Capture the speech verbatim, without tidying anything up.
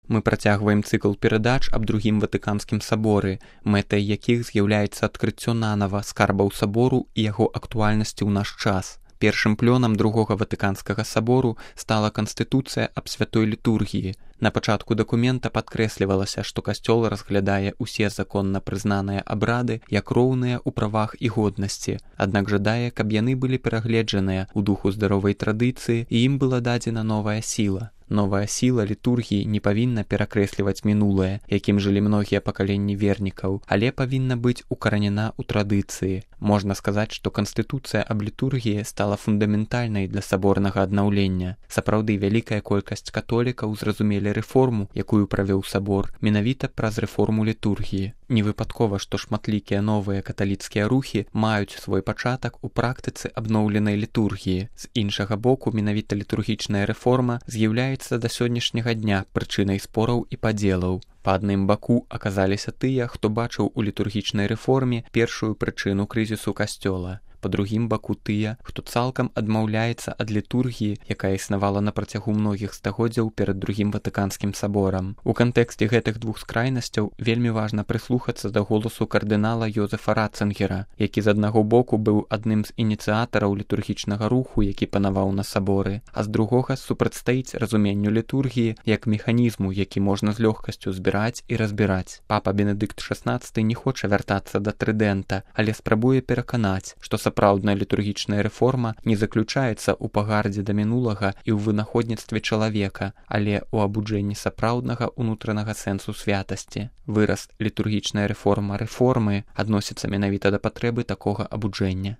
Мы працягваем цыкл перадач аб другім ватыканскім саборы, мэтай якіх з'яўляецца адкрыццё нанава скарбаў сабору і яго актуальнасці ў наш час. Першым плёнам другога ватыканскага сабору стала канстытуцыя аб святой літургіі. На пачатку дакумента падкрэслівалася, што касцёл разглядае ўсе законна прызнаныя абрады як роўныя ў правах і годнасці, аднак жадае, каб яны былі перагледжаныя ў духу здаровай традыцыі і ім была дадзена новая сіла. Новая сіла літургіі не павінна перакрэсліваць мінулае, якім жылі многія пакаленні вернікаў, але павінна быць укаранена ў традыцыі. Можна сказаць, што канстытуцыя аб літургіі стала фундаментальнай для саборнага аднаўлення. Сапраўды, вялікая колькасць католікаў зразумелі рэформу, якую правёў сабор, менавіта праз рэформу літургіі. Не выпадкова, што шматлікія новыя каталіцкія рухі маюць свой пачатак у практыцы абноўленай літургіі. З іншага боку, менавіта літургічная рэформа з'яўляецца да сённяшняга дня прычынай спораў і падзелаў. Па адным баку аказаліся тыя, хто бачыў у літургічнай рэформе першую прычыну крызісу касцёла. Па другім баку тыя, хто цалкам адмаўляецца ад літургіі, якая існавала на працягу многіх стагоддзяў перад другім ватыканскім саборам. У кантэксце гэтых двух скрайнасцяў вельмі важна прыслухацца да голасу кардынала Йозефа Ратцынгера, які з аднаго боку быў адным з ініцыятараў літургічнага руху, які панаваў на саборы, а з другога супрацьстаіць разуменню літургіі як механізму, які можна з лёгкасцю збіраць і разбіраць. Папа Бенедыкт шаснаццаты не хоча вяртацца да трыдэнта, але спрабуе пераканаць, што сапраўдная літургічная рэформа не заключаецца ў пагардзе да мінулага і ў вынаходніцтве чалавека, але ў абуджэнні сапраўднага ўнутранага сэнсу святасці. Выраз «літургічная рэформа рэформы» адносіцца менавіта да патрэбы такога абуджэння.